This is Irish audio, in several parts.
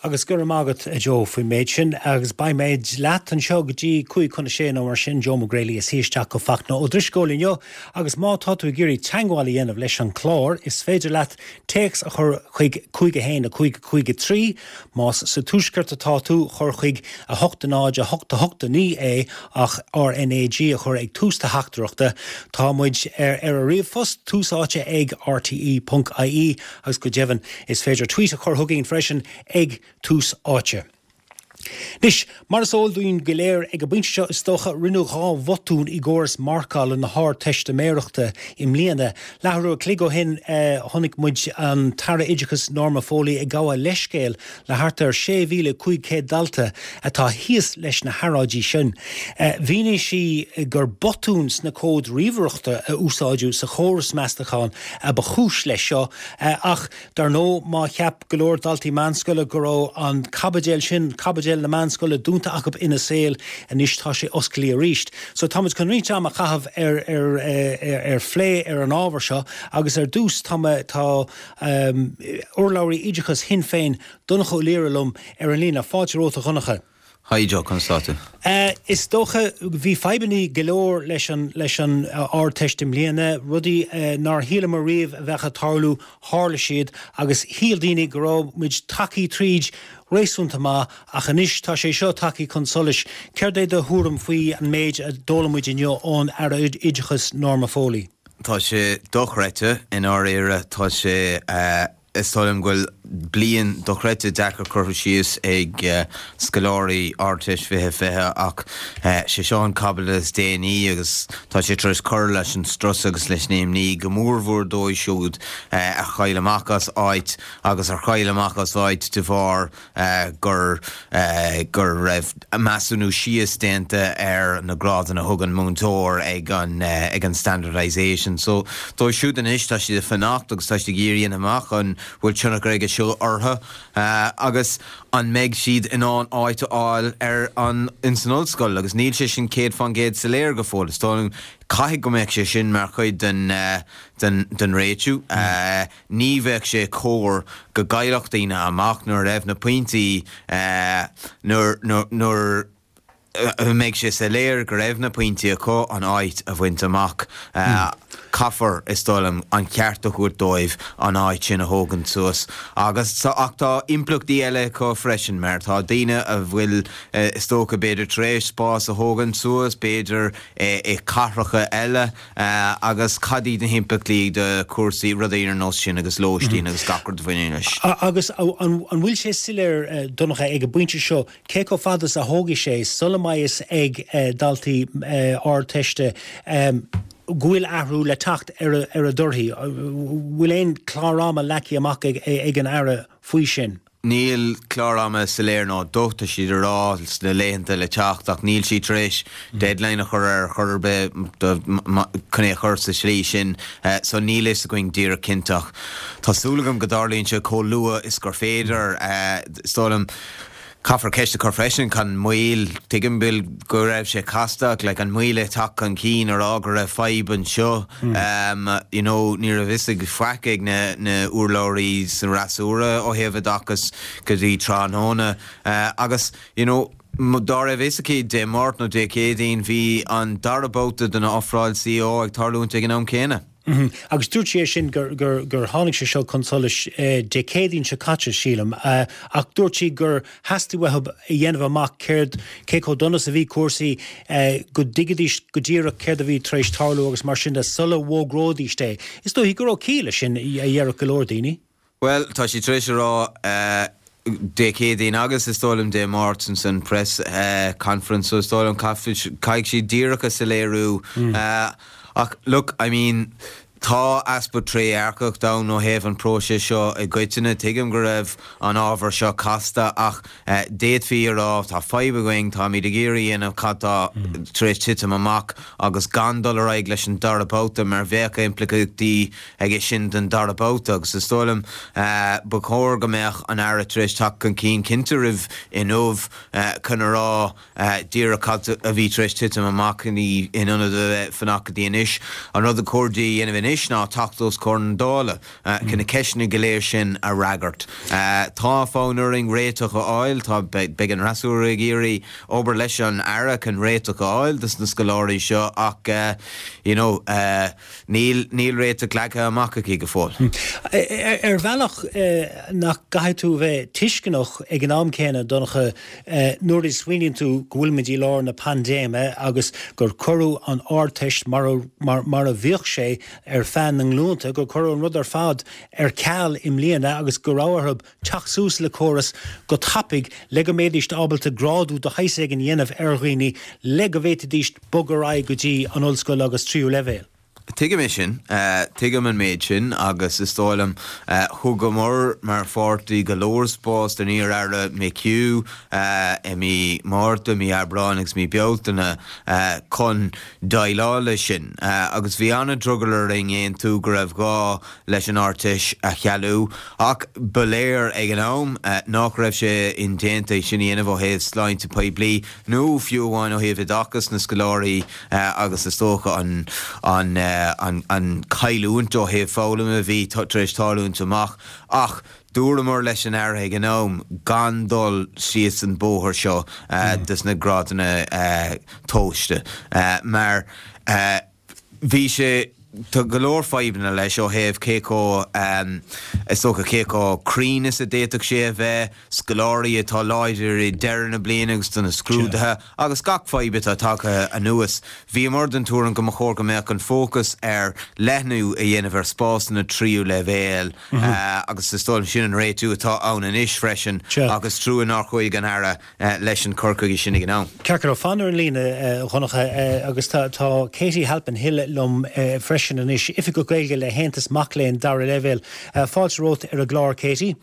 Agus go raibh maith agat, a Joe, faoin méid sin. Agus beidh muid leat anseo go dtí 5:55 nó mar sin, Joe McGrailey as isteach go Fachtna Ó Drisceoil inniu. Agus má tá tú ag iarraidh teagmháil a dhéanamh leis an chlár, is féidir leat téacs a chur chuig 5 1 5 5 3. Más sa Tuaisceart atá tú, cuir chuig 8 0 8 8 9 é ach RNAG a chur ag tús do theachtaireachta. Tá muid ar ar an ríomhphost, tús áite ag rte.ie. Agus go deimhin, is féidir tweet a chur chugainn freisin ag Tús Áite. Anois, mar is eol dúinn go léir ag an bpointe seo is dócha, rinneadh 2 bhotún i gcóras marcála na hArdteistiméireachta i mbliana. Leathuair an chloig ó shin chonaic muid an tAire Oideachais Norma Foley ag gabháil leithscéil le thart ar 6,500 dalta atá thíos leis na hearráidí sin. Mhínigh sí gur botún sna comhaid ríomhaireachta a úsáideadh sa chóras meastachán a ba chúis leis seo ach dar ndóigh má cheap go leor daltaí meánscoile go raibh an caibidil sin, caibidil na meánscoile, dúnta acu ina saol, anois tá sé osclaithe arís. So táimid chun roinnt ama a chaitheamh ar ar ar phlé ar an ábhar seo agus ar dtús tá tá urlabhraí oideachais Shinn Féin, Donncha Ó Laoire liom ar an líne. Fáilte romhat a Dhonncha. Hi Joe, conas tá tú? Is dócha, bhí fadhbannaí go leor leis an leis an Ardteist i mbliana, rudaí nár shíleamar riamh a bheadh ag tarlú, tharla siad agus shíl daoine go raibh muid tagthaí tríd réasúnta maith ach anois tá sé seo tagthaí chun solais. Céard é do thuairim faoi an méid a d'fhoghlaim muid inniu ón Aire Oideachais Norma Foley? Tá sé dochreidte, i ndáiríre, tá sé. Is dóigh liom go bhfuil bliain dochreidte deacair curtha síos ag scoláirí Ardteist 2020 ach sé seo an caibidil is déanaí agus tá sé tar éis cur leis an strus agus leis an imní, go mórmhór dóibh siúd a chaill amach as áit agus ar chaill amach as áit de bharr gur go raibh measúnú síos déanta ar na grádanna a thug an múinteoir ag an ag an standardisation. So dóibh siúd anois tá siad ag fanacht agus tá siad ag iarraidh a dhéanamh amach an bhfuil tionchar aige seo orthu agus an mbeidh siad in ann áit a fháil ar an ins an ollscoil agus níl sé sin 100% soiléir go fóill. Is dóigh liom caithfidh go mbeadh sé sin mar chuid den den den réitiú. Ní bheadh sé cóir go gcaillfeadh daoine amach nuair a raibh na pointí, nuair, nuair a mbeidh sé soiléir go raibh na pointí acu an áit a bhaint amach. Caithfear, is dóigh liom, an ceart a thabhairt dóibh an áit sin a thógaint suas. Agus, ach tá impleachtaí eile acu freisin mar tá daoine a bhfuil, is dócha, b'fhéidir tar éis spás a thógaint suas, b'fhéidir i cathracha eile, Agus cad iad na himpleachtaí do chúrsaí, rudaí ar nós sin agus lóistín agus gach rud a bhaineann leis? Agus an bhfuil sé soiléir, Donncha, ag an bpointe seo, cé chomh fada is a thógfaidh sé sula mbeidh fhios ag daltaí Ardteiste go bhfuil athrú le teacht ar a dtorthaí? Bhfuil aon chlár ama leagtha amach ag an Aire faoi sin? Níl clár ama soiléir ná docht, tá siad ag rá sna laethanta le teacht ach níl siad tar éis deadline a chur air chor ar bith chun é a chur sa tslí sin so níl fhios againn díreach cinnte ach tá súil agam go dtarlaíonn sé chomh luath is gur féidir. Is dóigh liom caithfear ceist a chur freisin, cad an moill, tuigim Bill go raibh sé casta ach like an moill ag teacht chun cinn a rá go raibh fadhb anseo. You know, ní raibh fhios ag faic ag na na urlabhraí sa fhreasúra ó thaobh oideachais go dtí tráthnóna. Agus, you know, dá raibh fhios aici Dé Máirt nó Dé Céadaoin, bhí an dara babhta den ofráil CO ag tarlúint ag an am céanna. Agus dúirt sí é sin gur gur gur tháinig sé seo chun solais Dé Céadaoin seo caite, sílim. Ach dúirt sí gur theastaigh uathu a dhéanamh amach céard, cé chomh dona is a bhí cúrsaí, go dtuigfidís go díreach céard a bhí tar éis tarlú agus mar sin de sula bhfógróidís é. Is dóichí go raibh ciall leis sin, a déarfadh go leor daoine. Bhuel, tá sí tar éis a rá Dé Céadaoin agus is dóigh liom Dé Máirt ins an press conference so is dóigh liom caithfidh siad díreach a soiléiriú. Ach look, I mean, Tá easpa trédhearcacht ann ó thaobh an próiseas seo i gcoitinne. Tuigim go raibh an ábhar seo casta ach d'fhéadfaí a rá tá fadhb againn, táimid ag iarraidh a dhéanamh cad tá tar éis titim amach agus gan dul ar aghaidh leis an dara babhta mar bheadh impleachtaí aige sin don dara babhta agus is dóigh liom ba chóir go mbeadh an Aire tar éis teacht chun cinn cinnte roimh inniu chun a rá díreach cad a bhí tar éis titim amach in ionad a bheith fanacht go dtí anois. An rud a chóir di a dhéanamh anois. anois ná teacht os comhair na Dála chun na ceisteanna go léir sin a fhreagairt. Tá fonn orainn réiteach a fháil, tá, beidh an fhreasúra ag iarraidh obair leis an Aire chun réiteach a fháil dos na scoláirí seo ach you know níl, níl réiteach leagtha amach aici go fóill. Ar bhealach nach gcaithfidh tú a bheith tuisceanach ag an am céanna, Donncha, nuair a smaoiníonn tú go bhfuilimid i lár na paindéime agus gur cuireadh an Ardteist mar a, mar a bhíodh sé ar feadh na nglúnta, gur cuireadh an rud ar fad ar ceal i mbliana agus go raibh orthu teacht suas le córas go tapaidh le go mbeidíst ábalta grádú de shaghas éigin a dhéanamh ar dhaoine le go bhféadfaidíst bogadh ar aghaidh go dtí an ollscoil agus tríú leibhéal. Tuigim é sin. Tuigim an méid sin agus is dóigh liom, thugamar mar pháirtí go leor spás don iar-aire McHugh i mí Márta, mí Aibreáin agus mí Bealtaine chun déileáil leis sin agus bhí an-drogall orainn aontú go raibh gá leis an Ardteist a chealú ach ba léir ag an am nach raibh sé indéanta é sin a dhéanamh ó thaobh sláinte poiblí nó fiú amháin ó thaobh oideachas na scoláirí agus is dócha an an an chailliúint ó thaobh foghlama a bhí tar éis tarlúint amach ach dúramar leis an Aire ag an am gan dul síos an bóthar seo dos na grádanna tomhaiste mar bhí sé Tá go leor fadhbanna leis ó thaobh cé chomh, is dócha, cé chomh cruinn is a d'fhéadfadh sé a bheith, scoláirí atá láidir i deireadh na bliana agus do na scrúduithe agus gach fadhb atá tagtha anuas. Bhíomar den tuairim go mba chóir go mbeadh an fócas ar leathnú a dhéanamh ar spásanna tríú leibhéal agus is dóigh liom sin an réitiú atá ann anois freisin agus trua nár chuaigh an Aire leis an cur chuige sin ag an am. Ceart go leor, fan ar an líne, a Dhonncha, agus tá Katie Halpin Hill liom freisin anois, Oifigeach Gaeilge le hAontas Mac Léinn Dara Leibhéal. Fáilte romhat ar an gclár, Katie.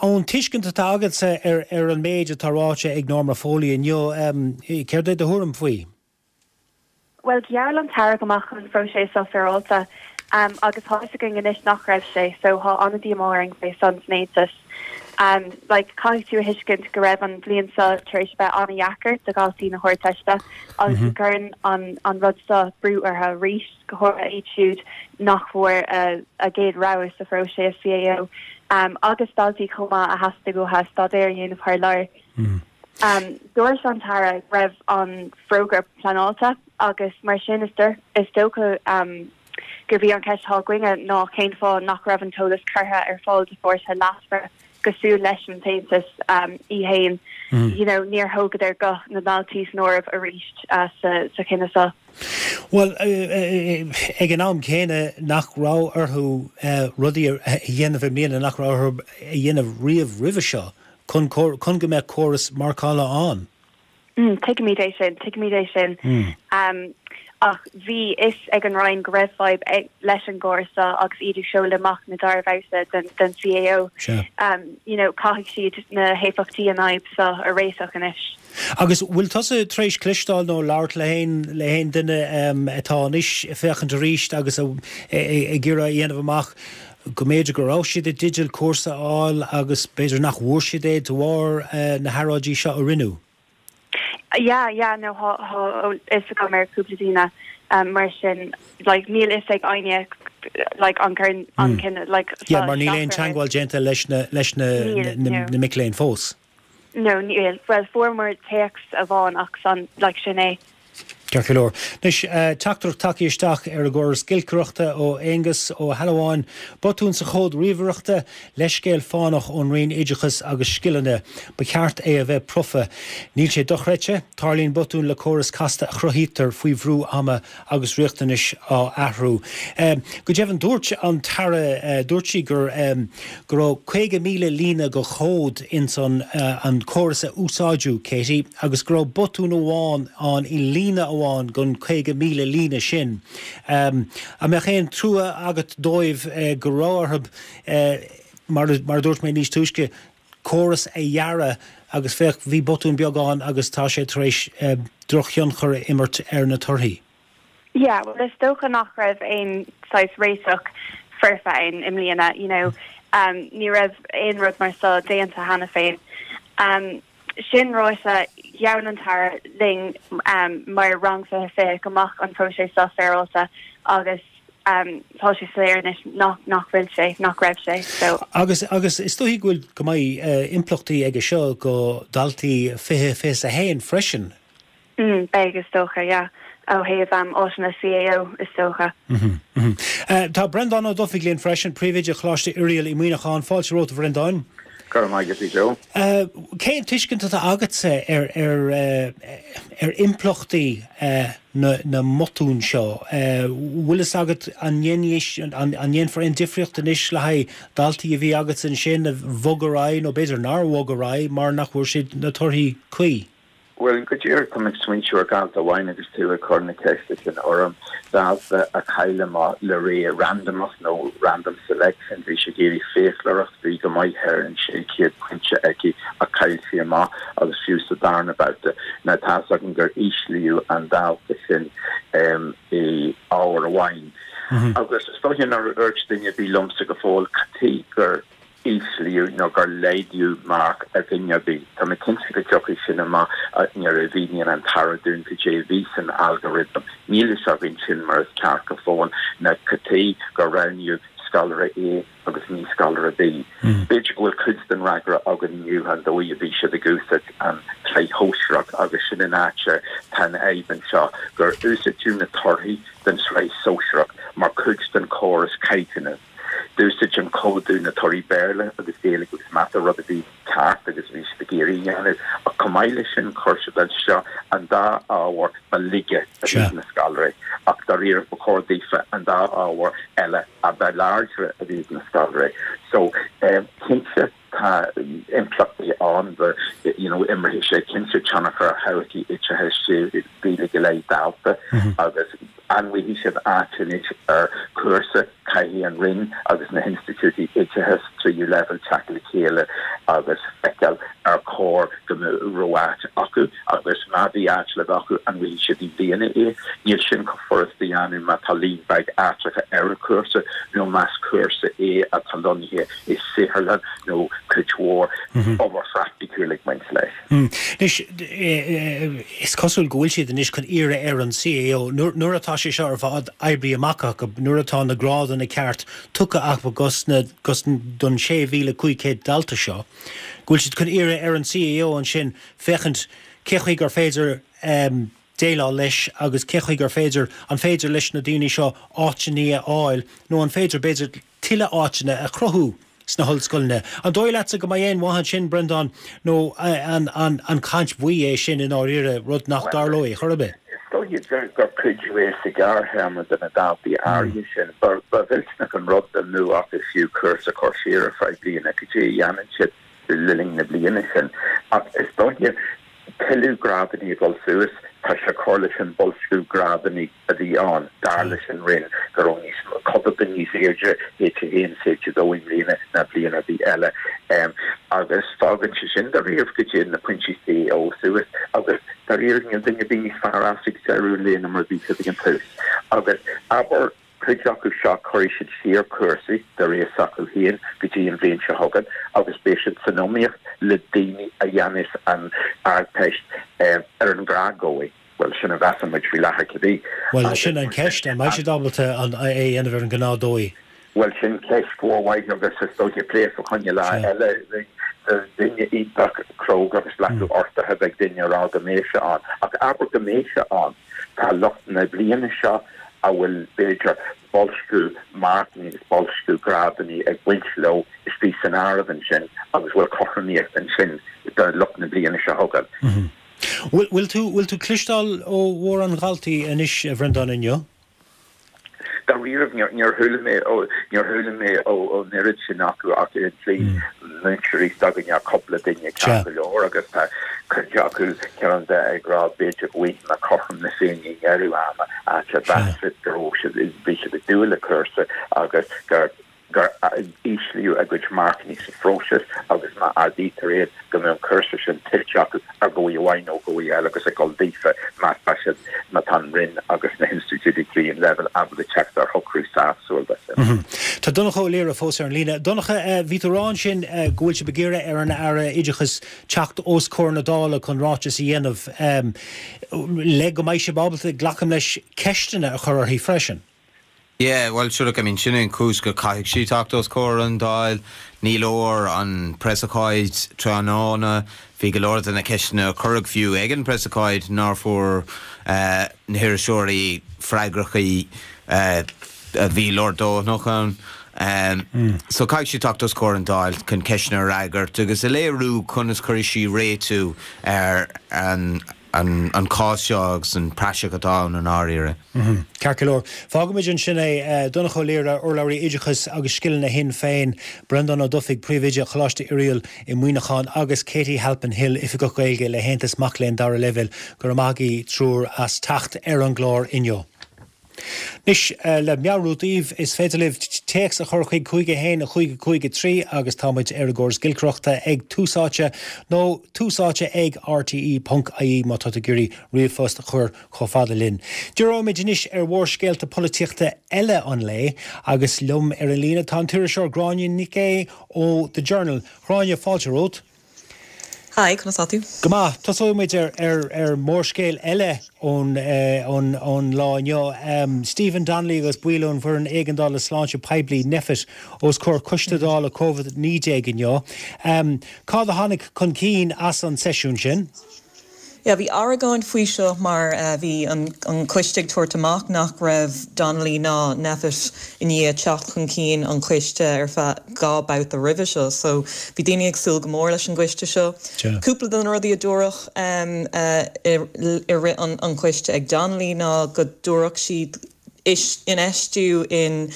Ón tuiscint atá agatsa ar an méid atá ráite ag Norma Foley inniu, céard é do thuairim faoi? Bhuel, gheall an tAire go mbeadh an phróiseas seo féaráilte agus tá fhios againn anois nach raibh sé, so thá an-díomá orainn fé san san Aontas. Like, caithfidh tú a thuiscint go raibh an bhliain seo tar éis a bheith an-dheacair do dhaltaí na hArdteiste agus go gcuireann an an rud seo brú orthu arís, go háirithe iad siúd nach bhfuair a gcéad rogha sa phróiseas CAO agus daltaí chomh maith a theastaigh uathu staidéar a dhéanamh thar lear. Dúirt an tAire go raibh an forógra pleanáilte agus mar sin is dócha gurb í an cheist atá againne ná cén fáth nach raibh an t-eolas curtha ar fáil do pháirtithe leasmhara cosúil leis an tAontas í fhéin. You know, níor thógadar guth na ndaltaí san áireamh arís sa chinneadh seo. Bhuel, ag an am céanna nach raibh orthu rudaí a dhéanamh i mbliana nach raibh orthu a dhéanamh riamh roimhe seo. chun chun go mbeadh córas marcála ann. Tuigimid é sin, tuigimid é sin. Ach bhí fhios ag an Roinn go raibh fadhb leis an gcóras seo agus iad ag seoladh amach na dara babhta den den CAO. You know, caithfidh siad na héifeachtaí an fhadhb seo a réiteach anois. Agus bhfuil tusa tar éis cloisteáil nó labhairt le haon le haon duine atá anois ag féachaint arís agus ag iarraidh a dhéanamh amach go mb'fhéidir go raibh siad i dteideal cúrsa a fháil agus b'fhéidir nach bhfuair siad é de bharr na hearráidí seo a rinneadh. Yeah, yeah, no, thá fhios agam ar cúpla daoine mar sin, like, níl fhios ag éinne, like, an gcuireann an cinneadh, like, Yeah, mar níl aon teagmháil déanta leis na, leis na, na mic léinn fós. No, níl. Bhuel, fuaireamar téacs amháin ach san, like, sin é. Ceart go leor. Anois, teachtaireacht tagtha isteach ar an gcóras giolcaireachta ó Aonghus Ó hAlmhain. Botún sa chód ríomhaireachta, leithscéal fánach ón Roinn Oideachais agus Scileanna. Ba cheart é a bheith profa. Níl sé dochreidte. Tarlaíonn botúin le córas casta a chruthaítear faoi bhrú ama agus riachtanais á athrú. Go deimhin, dúirt an tAire, dúirt sí gur go raibh 50,000 líne de chód ins an an córas a úsáideadh, Katie, agus go raibh botún amháin ann i líne amháin den 50,000 líne sin. An mbeadh aon trua agat dóibh go raibh orthu, mar a dúirt mé níos túisce, córas a dhearadh agus féach, bhí botún beag ann agus tá sé tar éis drochthionchar a imirt ar na torthaí. Yeah, bhuel is dócha nach raibh aon saghas réiteach foirfe ann i mbliana, you know, ní raibh aon rud mar seo déanta cheana féin. Sin ráite, gheall an tAire linn mar Rang 2020 go mbeadh an próiseas seo féaráilte agus. Tá sé soiléir anois nach nach bhfuil sé, nach raibh sé. So. Agus agus is dóichí go bhfuil go mbeidh impleachtaí aige seo go daltaí 20, 21 freisin. Mm, beidh is dócha, yeah. Ó thaobh áiteanna CAO is dócha. Mm mm. Tá Breandán Ó Dufaigh linn freisin, Príomhoide Choláiste Oiriall i Muineachán. Fáilte romhat a Bhreandáin. Go raibh maith agat a Joe. Cén tuiscint atá agatsa ar ar ar impleachtaí na na mbotún seo? Bhfuil fhios agat an an ndéanfar aon difríocht anois le haghaidh daltaí a bhí agatsa ansin a bhog ar aghaidh nó b'fhéidir nár bhog ar aghaidh mar nach bhfuair siad na torthaí cuí? Bhuel, go díreach, tá mé ag smaointiú ar dhalta amháin agus tú ag cur na ceiste sin orm, dalta a chaill amach le rogha randamach nó random selection, bhí sí ag iarraidh fiaclóireacht, bhí go maith ar an 600 pointe aici ach chaill sí amach agus fiú sa darna babhta. Now tá's agam gur íslíodh an dalta sin i ábhar amháin. Agus is dóiche nár dhúirt duine ar bith liomsa go fóill cad chuige gur íslíodh nó gur laghdaíodh marc ar dhuine ar bith. Tá mé cinnte go dtiocfaidh sin amach nuair a mhíníonn an tAire dúinn cad é a bhí san algorithm. Níl fhios againn sin mar is ceart go fóill, ná cad chuige gur roghnaíodh scoláire A agus ní scoláire B. B'fhéidir go bhfuil cuid den fhreagra againn inniu, an dóigh a bhí siad ag úsáid an tsraith shóisearach agus sin an áit atá an fhadhb anseo, gur úsáideadh na torthaí den tsraith shóisearach mar chuid den chóras caighdeánú. D'úsáid an códú na torthaí Béarla agus Gaeilge agus Mata, rud a bhí ceart agus a bhí siad ag iarraidh a dhéanamh, ach chomh maith leis sin chuir siad isteach an dá ábhar ba laige a bhí ag na scoláirí, ach dáiríre ba chóir daofa an dá ábhar eile a ba láidre a bhí ag na scoláirí. So, cinnte tá impleachtaí ann, you know, imreoidh sé cinnte tionchar ar thodhchaí oideachais 6,000 go leith dalta agus an bhfaighidh siad áit anois ar chúrsa, caithfidh an Roinn agus na hinstitiúidí oideachais tríú leibhéal teacht le chéile agus feiceáil ar chóir go raibh áit acu agus má bhí áit le bheith acu an bhfaighidh siad i mbliana é. Níl sin chomh furasta a dhéanamh má tá líon beag áiteacha ar an chúrsa nó más cúrsa é atá lonnaithe i saotharlann nó cuid mhór obair phraiticiúil ag baint leis. Anois, is cosúil go bhfuil siad anois chun iarraidh ar an CAO, nuair atá sé seo ar fad oibrithe amach acu, nuair atá na grádanna ceart tugtha acu dos na, don 6,500 dalta seo, go bhfuil siad chun iarraidh ar an CAO ansin féachaint cé chaoi gur féidir déileáil leis agus cé chaoi gur féidir, an féidir leis na daoine seo áiteanna a fháil nó an féidir, b'fhéidir, tuilleadh áiteanna a chruthú sna hollscoileanna. An dóigh leatsa go mbeidh aon mhaith ansin, Breandán, nó an caint bhaoth é sin i ndáiríre, rud nach dtarlóidh chor ar bith? Is dóiche gur cuidiú é sa ghearrthéarma do na daltaí áirithe sin. Ba mhillteanach an rud dá mbeadh acu fiú cúrsa a chur siar ar feadh bliana, cad é a dhéanann siad le linn na bliana sin. Ach is dóiche tuilleadh grádanna ag dul suas, tá sé ag cur leis an boilsciú grádanna a bhí ann, dar leis an Roinn, go raibh níos mó, codán níos airde H1 is H2 i mbliana ná bliain ar bith eile. Agus fágann sé sin dáiríre go dtéann na pointí CAO suas agus dáiríre níl duine ar bith níos fearr as ag deireadh an lae ná mar a bhí siad ag an tús. Agus abair cuid acu seo cuirfidh siad siar cúrsaí de réir s'acu féin go dtí an bhliain seo chugainn agus beidh siad san iomaíocht le daoine a dhéanfas an Ardteist ar an ngnáthdhóigh. Bhuel, sin a mheasann muid faoi láthair cibé. Bhuel, sin an cheist, an mbeidh siad ábalta é a dhéanamh ar an ngnáthdhóigh? Bhuel, sin ceist mhór mhaith agus is dóiche plé fá choinne lá eile. Duine iontach cróga agus glacadh ortaithe beidh duine a rá go mbeidh sé ann. Ach abair go mbeidh sé ann, tá lucht na bliana seo a bhfuil, b'fhéidir, boilsciú marcanna agus boilsciú grádanna ag baint leo istigh san áireamh ansin agus bhfuil cothromaíocht ansin do lucht na bliana seo chugainn. Bhfuil tú, bhfuil tú cloisteáil ó mhórán dhaltaí anois, a Bhreandáin, inniu? Dáiríre, níor chuala mé ó, níor chuala mé ón oiread sin acu ach ar an tslí múinteoirí s'againne cúpla duine ceart go leor agus tá cuid acu ceann de ag rá b'fhéidir go bhfaighidh mé cothrom na Féinne i ndeireadh ama áit a mheas siad go raibh siad, bhí siad ag dúil le cúrsa agus gur gur íslíodh a gcuid marcanna sa phróiseas agus má ardaítear iad go mbeadh an cúrsa sin tuillte acu ar dhóigh amháin nó dhóigh eile agus ag dul daofa má tá siad, má tá an Roinn agus na hinstitiúidí tríú leibhéal ábalta teacht ar shocrú sásúil de sin. Tá Donncha Ó Laoire fós ar an líne. Donncha, bhí tú ag rá ansin go bhfuil sibh ag iarraidh ar an Aire Oideachais teacht os comhair na Dála chun ráiteas a dhéanamh le go mbeidh sibh ábalta, glacaim leis, ceisteanna a chur uirthi freisin. Yeah, bhuel, sure, look, I mean, sin é an chúis go caithfidh sí teacht os comhair an Dáil. Ní leor an preasocáid tráthnóna. Bhí go leor de na ceisteanna a cuireadh fiú ag an preasocáid nár fuair na hiriseoirí freagrachaí a bhí leordhóthanach ann. So caithfidh sí teacht os comhair an Dáil chun ceisteanna a fhreagairt agus a léiriú conas cuirfidh sí réitiú ar an an cás seo agus an praiseach atá ann i ndáiríre. Ceart go leor. Fágfaimid ansin é. Donncha Ó Laoire, urlabhraí Oideachais agus Scileanna Shinn Féin, Breandán Ó Dufaigh, Príomhoide Choláiste Oiriall i Muineachán agus Katie Halpin Hill, Oifigeach Gaeilge le hAontas Mac Léinn Dara Leibhéal, go raibh maith agaibh triúr as teacht ar an gclár inniu. Anois, le meabhrú daoibh, is féidir libh téacs a chur chuig 5 1 5 5 3 agus tá muid ar an gcóras giolcaireachta ag Tús Áite nó Tús Áite ag rte ponc ie má tá tú ag iarraidh ríomhphost a chur chomh fada linn. Díreoimid anois ar mhórscéalta polaitíochta eile an lae agus liom ar an líne tá an t-iriseoir Gráinne Nic Aodha ó The Journal. Gráinne, fáilte romhat. Hi, conas tá tú? Go maith. Tosóidh muid ar ar mhórscéal eile ón ón lá inniu. Stephen Donnelly agus baill ón bhFoireann Éigeandála Sláinte Poiblí, Nphet, os comhair Coiste Dála Covid-19 inniu. Cad a tháinig chun cinn as an seisiún sin? Yeah, bhí argóint faoi seo mar bhí an coiste ag tabhairt amach nach raibh Donnelly ná Nphet i ndiaidh teacht chun cinn an choiste ar feadh 2 babhta roimhe seo so bhí daoine ag súil go mór leis an gcoiste seo. Cúpla de na rudaí a dúradh i rith an choiste ag Donnelly ná go dtabharfadh siad infheistiú in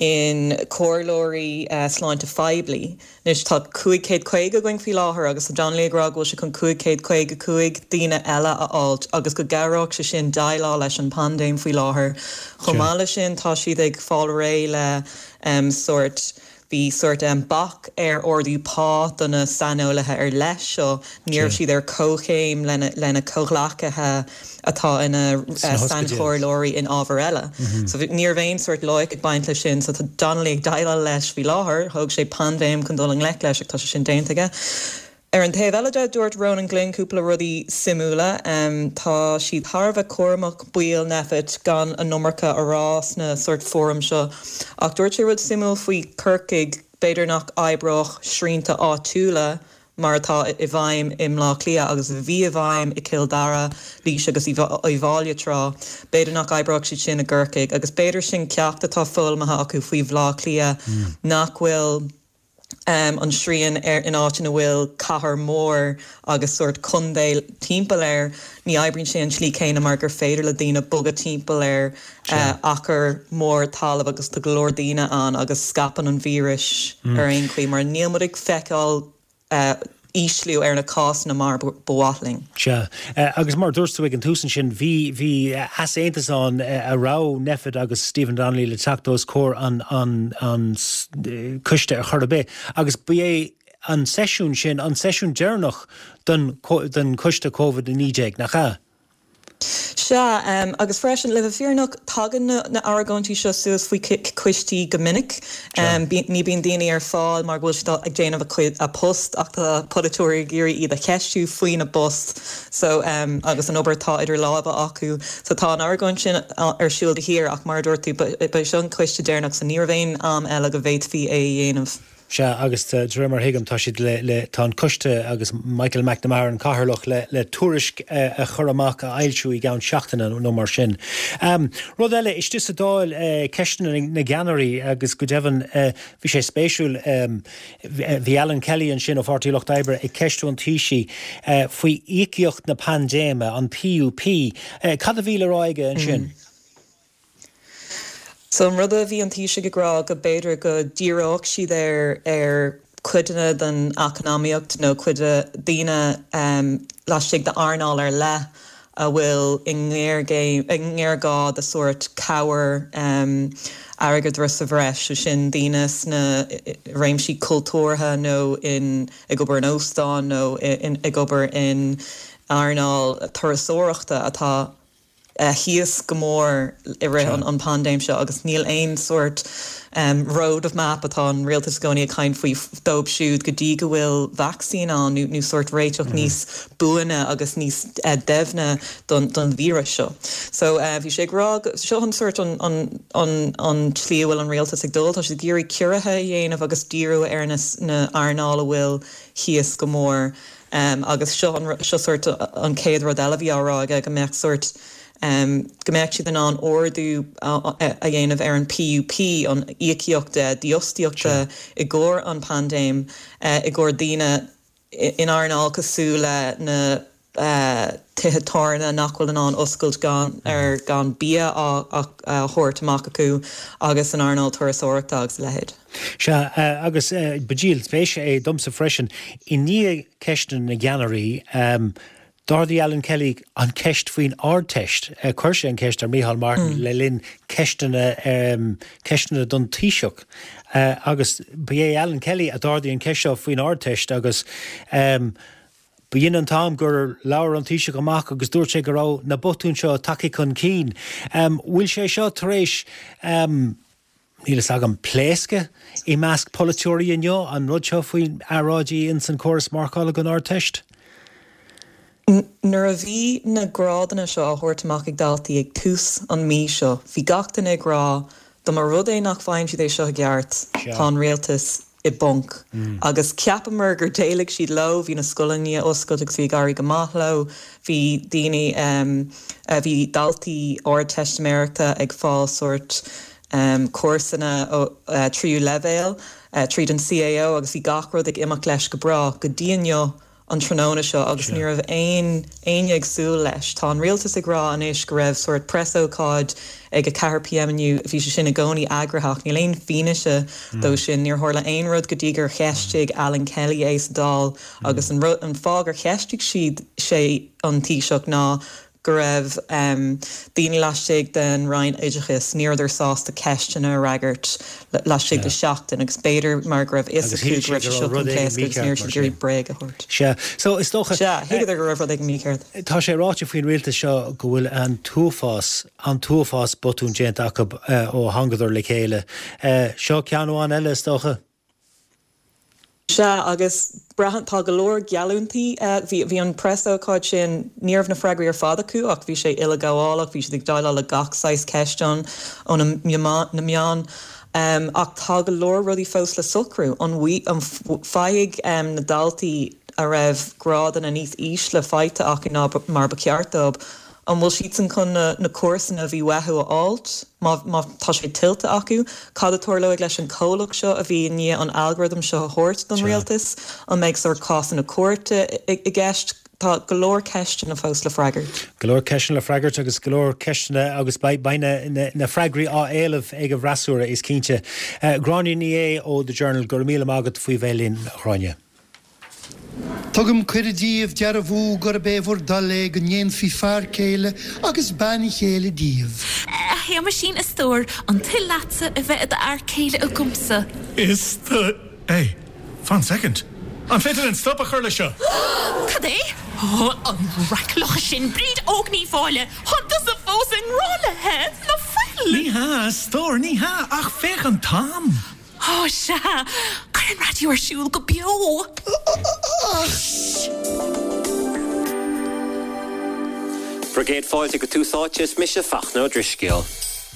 in comhairleoirí sláinte phoiblí. Anois tá 550 againn faoi láthair agus tá Donnelly ag rá go bhfuil sé chun 555 daoine eile a fháilt agus go gcabhródh sé sin déileáil leis an bpaindéim faoi láthair. Chomh maith leis sin tá siad ag fáil réidh le sórt, bhí sórt bac ar ardú pá do na saineolaithe ar leith seo, ní raibh siad ar comhchéim lena comhghleacaithe. atá ina sainchomhairleoirí in ábhair eile. So ní raibh aon sórt loighic ag baint leis sin. So tá Donnelly ag déileáil leis faoi láthair. Thóg sé paindéim chun dul i ngleic leis ach tá sé sin déanta aige. Ar an taobh eile de, dúirt Ronan Glynn cúpla rudaí suimiúla. Tá siad thar a bheith cúramach, baill Nphet, gan an iomarca a rá sna sórt fóraim seo. Ach dúirt sé rud suimiúil faoi Corcaigh, b'fhéidir nach oibreodh srianta áitiúla mar atá i bhfeidhm i mBleá Cliath agus a bhí i bhfeidhm i gCill Dara, Laois agus Uíbh Fháilí tráth. B'fhéidir nach oibreodh siad sin i gCorcaigh agus b'fhéidir sin ceacht atá foghlamtha acu faoi Bhleá Cliath nach bhfuil an srian ar in áit ina bhfuil cathair mhór agus sórt contae timpeall air, ní oibríonn sé an tslí céanna mar gur féidir le daoine bogadh timpeall ar achar mór talaimh agus tá go leor daoine ann agus scaipeann an víreas ar aon chaoi mar níl muid ag feiceáil ísliú ar na cásanna mar ba mhaith linn. Sea. Agus mar a dúirt tú ag an tús ansin, bhí, bhí easaontas ann a raibh Nphet agus Stephen Donnelly le teacht os comhair an, an, an coiste ar chor ar bith agus ba é an seisiún sin an seisiún deireanach don, don choiste Covid-19, nach ea? Sea, agus freisin, le bheith fírinneach, tagann na argóintí seo suas faoi choistí go minic. Ní bíonn daoine ar fáil mar go bhfuil siad ag déanamh a gcuid, a post ach tá polaiteoirí ag iarraidh iad a cheistiú faoina bpost so agus an obair atá idir lámha acu. So tá an argóint sin ar siúl de shíor ach mar a dúirt tú, ba é seo an coiste deireanach so ní raibh aon am eile go bhféadfaí é a dhéanamh. Sea, agus de réir mar a thuigim, tá siad le, le, tá an coiste agus Michael McNamara, an cathaoirleach, le, le tuairisc a chur amach, a fhoilsiú i gceann seachtaine nó mar sin. Rud eile, istigh sa Dáil, ceisteanna na gceannairí agus go deimhin, bhí sé spéisiúil, bhí Alan Kelly ansin ó Pháirtí Lucht Oibre ag ceistiú an Taoisigh faoi íocaíocht na paindéime, an PUP. Cad a bhí le rá aige ansin? So an rud a bhí an Taoiseach ag rá go b'fhéidir go díreodh siad ar ar cuideanna den eacnamaíocht nó cuid de daoine laistigh d'earnáil ar leith a bhfuil i ngéarghá de sórt cabhair airgeadra sa bhreis, sé sin daoine sna réimsí cultúrtha nó in ag obair in óstáin nó ag obair in earnáil turasóireachta atá. thíos go mór i rith an paindéim seo agus níl aon sórt road map atá an rialtas i gcónaí ag caint faoi dóibh siúd go dtí go bhfuil vacsaín ann nó sórt réiteach níos buaine agus níos doimhne don víreas seo. So bhí sé ag rá go, seo an sórt an an tslí a bhfuil an rialtas ag dul, tá siad ag iarraidh ciorruithe a dhéanamh agus díriú ar na earnáil a bhfuil thíos go mór. Agus seo an, seo sórt an chéad rud eile a bhí á rá aige, go mbeadh sórt, go mbeadh siad in ann ardú a dhéanamh ar an PUP, an íocaíocht dífhostaíochta i gcomhair an paindéim, i gcomhair daoine in earnáil cosúil le na tithe tábhairne nach bhfuil in ann oscailt gan, ar, gan bia á thabhairt amach acu agus an earnáil turasóireachta agus a leithéid. Sea, agus ba díol spéise é domsa freisin, i ndiaidh ceisteanna na gceannairí, d'ardaigh Alan Kelly an cheist faoin Ardteist. Chuir sé an cheist ar Micheál Martin le linn ceisteanna, ceisteanna don Taoiseach. Agus ba é Alan Kelly a d'ardaigh an cheist seo faoin Ardteist agus b'in an t-am gur labhair an Taoiseach amach agus dúirt sé go raibh na botúin seo tagtha chun cinn. Bhfuil sé seo tar éis. Níl fhios agam, pléascadh i measc polaiteoirí inniu, an rud seo faoi earráidí ins an córas marcála don Ardteist? Nuair a bhí na grádanna seo á thabhairt amach ag daltaí ag tús an mí seo, bhí gach duine ag rá dá mba rud é nach bhfaigheann siad é seo i gceart, tá an rialtas i bponc. Agus cheapamar gur d'éalaigh siad leo, bhí na scoileanna i ndiaidh oscailt agus bhí ag éirí go maith leo, bhí daoine, bhí daltaí Ardteistiméireachta ag fáil sórt cúrsanna tríú leibhéal tríd an CAO agus bhí gach rud ag imeacht leis go breá go dtí inniu an tráthnóna seo agus ní raibh aon éinne ag súil leis. Tá an rialtas ag rá anois go raibh sórt preasócáid ag 4 pm inniu, bhí sé sin i gcónaí eagraithe ach níl aon fianaise dó sin. Níor tharla aon rud go dtí gur cheistigh Alan Kelly é sa Dáil agus an rud, an fáth gur cheistigh siad sé an Taoiseach ná go raibh daoine laistigh den Roinn Oideachais, ní rabhadar sásta ceisteanna a fhreagairt laistigh de sheachtain agus b'fhéidir mar go raibh fhios acu go raibh sé seo chun pléascadh agus ní raibh siad ag iarraidh bréag a thabhairt. Sea. So, is dócha. Sea, thuigeadar go raibh rud éigin mícheart. Tá sé ráite faoin rialtas seo go bhfuil an t-uafás, an t-uafás botún déanta acu ó thángadar le chéile. Seo ceann amháin eile, is dócha. Sea, agus braitheann, tá go leor geallúintí, bhí, bhí an preasócáid sin, ní raibh na freagraí ar fad acu ach bhí sé uileghabhálach, bhí siad ag déileáil le gach saghas ceisteanna ó na, na meáin. Ach tá go leor rudaí fós le socrú. An, an bhfaighidh na daltaí a raibh grádanna níos ísle faighte acu ná mar ba cheart dóibh, An bhfuil siadsan chun na cúrsanna a bhí uathu a fháilt, má má tá sé tuillte acu? Cad a tarlóidh leis an comhlacht seo a bhí i ndiaidh an algorithm seo a thabhairt don rialtas? An mbeidh sórt cásanna cúirte i gceist? Tá go leor ceisteanna fós le freagairt. Go leor ceisteanna le freagairt agus go leor ceisteanna agus beidh beidh na na na freagraí á éileamh ag an bhfreasúra, is cinnte. Gráinne Ní Aodha ó The Journal, go raibh míle maith agat faoi bheith linn, a Ghráinne. Tugaim cuireadh daoibh dearbhú gurb é bhur dtoil é go ndéanfaí fear céile agus bean chéile díobh. A Shéamaisín, a stór, an toil leatsa a bheith i d'fhear céile agamsa? Is do. Hey, fan soicind. An féidir linn stop a chur leis seo? Cad é? Ó, an raic-locha sin, Bríd Óg Ní Mháille, tá tusa fós i ngrá léi, ná fuil? Ní hea, a stór, ní hea, ach féach an t-am! Ó, sea! Cuir an raidió ar siúl go beo! Ach. Bhur gcéad fáilte go Tús Áite, is mise Fachtna Ó Drisceoil.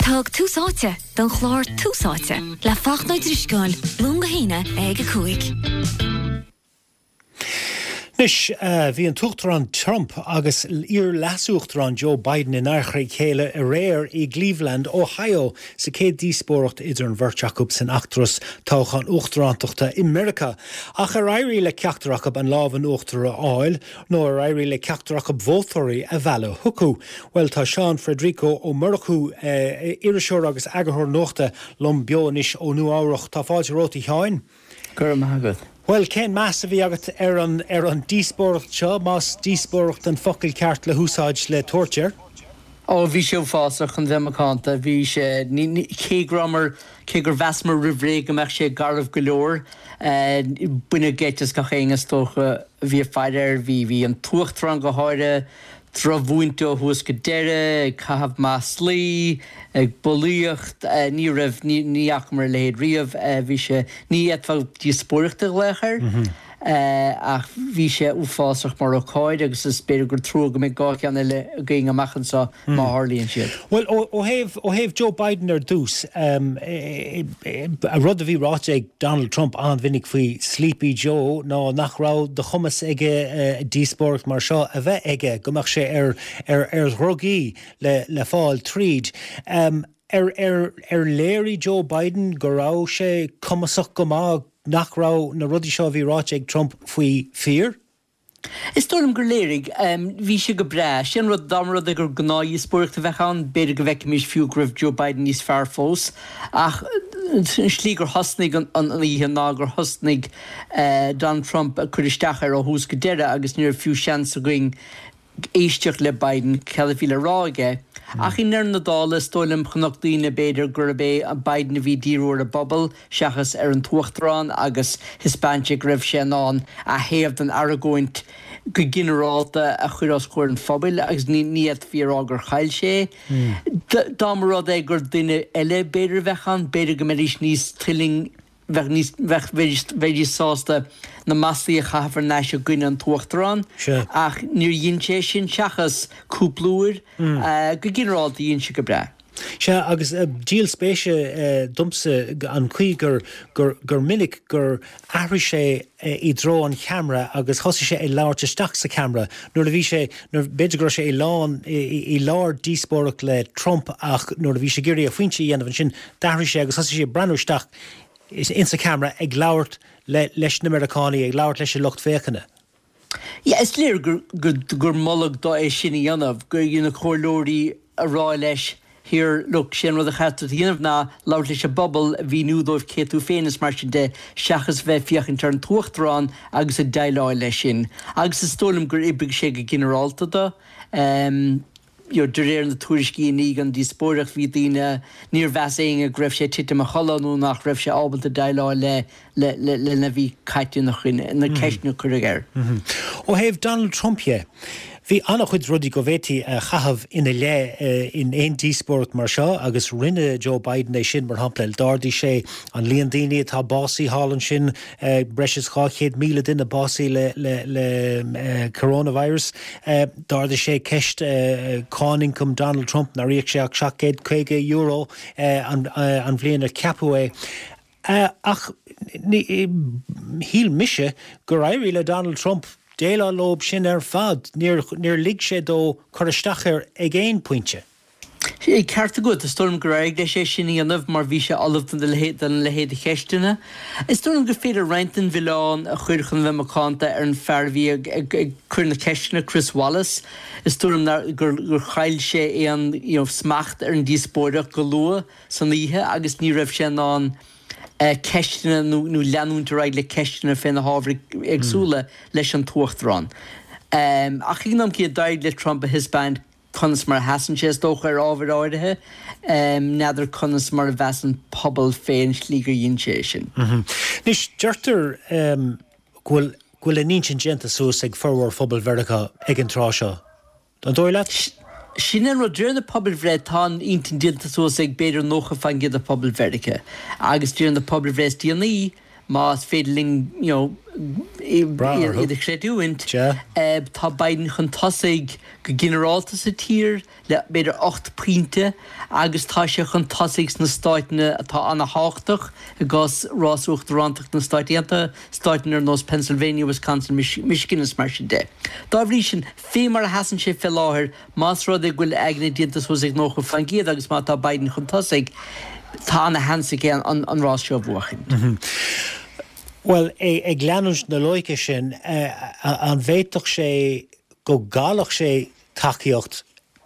Thug Tús Áite don chlár Tús Áite le Fachtna Ó Drisceoil, Luan go hAoine ag 5. Anois, bhí an tUachtarán Trump agus iar-leasuachtarán Joe Biden in adharca a chéile aréir i gCleveland, Ohio, sa chéad díospóireacht idir an bheirt acu san fheachtas toghcháin uachtarántachta i Meiriceá. Ach ar éirigh le ceachtar acu an lámh in uachtar a fháil, nó ar éirigh le ceachtar acu vótóirí a mhealladh chucu? Bhuel, tá Seán Frederico Ó Murchú, iriseoir agus eagarthóir nuachta, liom beo anois ó Nua Eabhrac. Tá fáilte romhat, a Sheáin. Go raibh maith agat. Bhuel, cén meas a bhí agat ar an ar an díospóireacht seo, más díospóireacht an focal ceart le húsáid le tabhairt air? Ó, bhí sé uafásach, chun bheith macánta. Bhí sé, ní, ní, cé go rabhamar, cé gur mheasamar roimh ré go mbeadh sé garbh go leor, baineadh geit as gach éinne is dócha a bhí ag faire air. Bhí, bhí an tUachtarán go háirithe. drochmhúinte ó thús go deireadh, ag caitheamh maslaí, ag bulaíocht, ní raibh, ní fhacamar a leithéid riamh, bhí sé, ní fhéadfá díospóireacht a ghlaoch air, ach bhí sé uafásach mar ócáid agus is b'fhéidir gur trua go mbeidh 2 cheann eile againn amach anseo má tharlaíonn siad. Bhuel, ó thaobh, ó thaobh Joe Biden ar dtús, rud a bhí ráite ag Donald Trump an-mhinic faoi Sleepy Joe ná nach raibh de chumas aige díospóireacht mar seo a bheith aige, go mbeadh sé ar, ar, ar dhrugaí le, le fáil tríd. Ar, ar, ar léirigh Joe Biden go raibh sé cumasach go maith, nach raibh na rudaí seo a bhí ráite ag Trump faoi fíor? Is dóigh liom gur léirigh. Bhí sé go breá. Sé an rud, dá mba rud é gur gnáthdhíospóireacht a bheadh ann, b'fhéidir go bhfeicfimis fiú go raibh Joe Biden níos fearr fós. Ach an slí gur thosnaigh an oíche ná gur thosnaigh Donald Trump ag cur isteach air ó thús go deireadh agus ní raibh fiú seans againn éisteacht le Biden, cad a bhí le rá aige. Ach i ndeireadh na dála, is dóigh liom, chonaic daoine, b'fhéidir, gurb é Biden a bhí ag díriú ar an bpobal seachas ar an t-uachtarán agus thaispeáin sé go raibh sé in ann a thaobh den argóint go ginearálta a chur os comhair an phobail agus ní fhéadfaí a rá gur chaill sé é. Dá mba rud é gur duine eile b'fhéidir a bheadh ann, b'fhéidir go mbeidís níos tuilling bheadh níos, bheadh, bheidís, bheidís sásta na maslaí a chaitheamh thar n-ais i gcoinne an t-uachtarán ach níor dhein sé sin seachas cúpla uair. Go ginearálta dhein sé go breá. Sea, agus díol spéise domsa an chaoi gur, gur, gur minic gur athraigh sé i dtreo an cheamara agus thosaigh sé ag labhairt isteach sa cheamara nuair a bhí sé, nuair, b'fhéidir go raibh sé i lán, i lár díospóireacht le Trump ach nuair a bhí sé ag iarraidh a phointe a dhéanamh ansin d'athraigh sé agus thosaigh sé ag breathnú isteach insa cheamara ag labhairt leis na Meiriceánaigh, ag labhairt leis an lucht féachana. Yeah, is léir gur, gur, gur moladh dó é sin a dhéanamh, gur, you know, na comhairleoirí a rá leis, here, look, sé an rud a chaithfidh tú a dhéanamh ná labhairt leis an bpobal, a mhíniú dóibh cé tú féin is mar sin de, seachas bheith ag féachaint ar an t-uachtarán agus ag déileáil leis sin. Agus is dóigh liom gur oibrigh sé go ginearálta dó. Em. you know, de réir na tuairiscí i ndiaidh an díospóireacht, bhí daoine, níor mheas éinne go raibh sé ag titim a chodladh nó nach raibh sé ábalta déileáil le, le, le, lena bhí caite ina choinne, na ceisteanna a cuireadh air. Ó thaobh Donald Trump dhe, bhí an-chuid rudaí go bhféadfaí a chaitheamh ina leith in aon díospóireacht mar seo agus rinne Joe Biden é sin, mar shampla, d'ardaigh sé an líon daoine atá básaithe thall ansin, breis is 200,000 duine básaithe le, le, le coronavirus. D'ardaigh sé ceist cáin ioncaim Donald Trump, nár íoc sé ach €750 an bhliain ar ceapadh é. Ach shíl mise gur éirigh le Donald Trump déileáil leo sin ar fad. Níor lig sé dó cur isteach air ag aon pointe. Ceart agat, is dóigh liom gur éirigh leis é sin a dhéanamh mar bhí sé ullamh don leithéid de cheisteanna. Is dóigh liom gur féidir roinnt den mhilleán a chur chun a bheith macánta ar an fear a bhí ag cur na ceisteanna, Chris Wallace. Is dóigh liom gur chaill sé aon smacht ar an díospóireacht go luath san oíche agus ní raibh sé in ann ceisteanna nó leanúint ar aghaidh le ceisteanna fé na hábhair éagsúla leis an t-uachtarán. Ach ag an am céanna d'éirigh le Trump a thaispeáint conas mar a sheasann sé, is dócha, ar ábhair áirithe. N'fheadar conas mar a mheas an pobal fén slí gur dhein sé é sin. Anois, deirtear go bhfuil go bhfuil a n-intinn déanta suas ag formhór phobal Mheiriceá ag an tráth seo. An dóigh leat? Sin é an rud. De réir na pobalbhreith, tá an intinn déanta suas ag b'fhéidir 90% de phobal Mheiriceá. Agus de réir na pobalbhreith is déanaí, más féidir linn you know iad a chreidiúint, tá Biden chun tosaigh go ginearálta sa tír le b'fhéidir 8 pointe agus tá sé chun tosaigh sna stáiteanna atá ana-thábhachtach i gcás rás uachtarántacht na Stáit Aontaithe, stáiteanna ar nós Pennsylvania, Wisconsin, Michigan is mar sin de. Dá bhrí sin, fé mar a sheasann sé fé láthair, Más rud é go bhfuil aigne déanta suas ag 90% agus má tá Biden chun tosaigh, tá ana-sheans aige an rás seo a bhuachaint. Bhuel, ag leanúint na loighce sin, an bhféadfadh sé go gcaillfeadh sé tacaíocht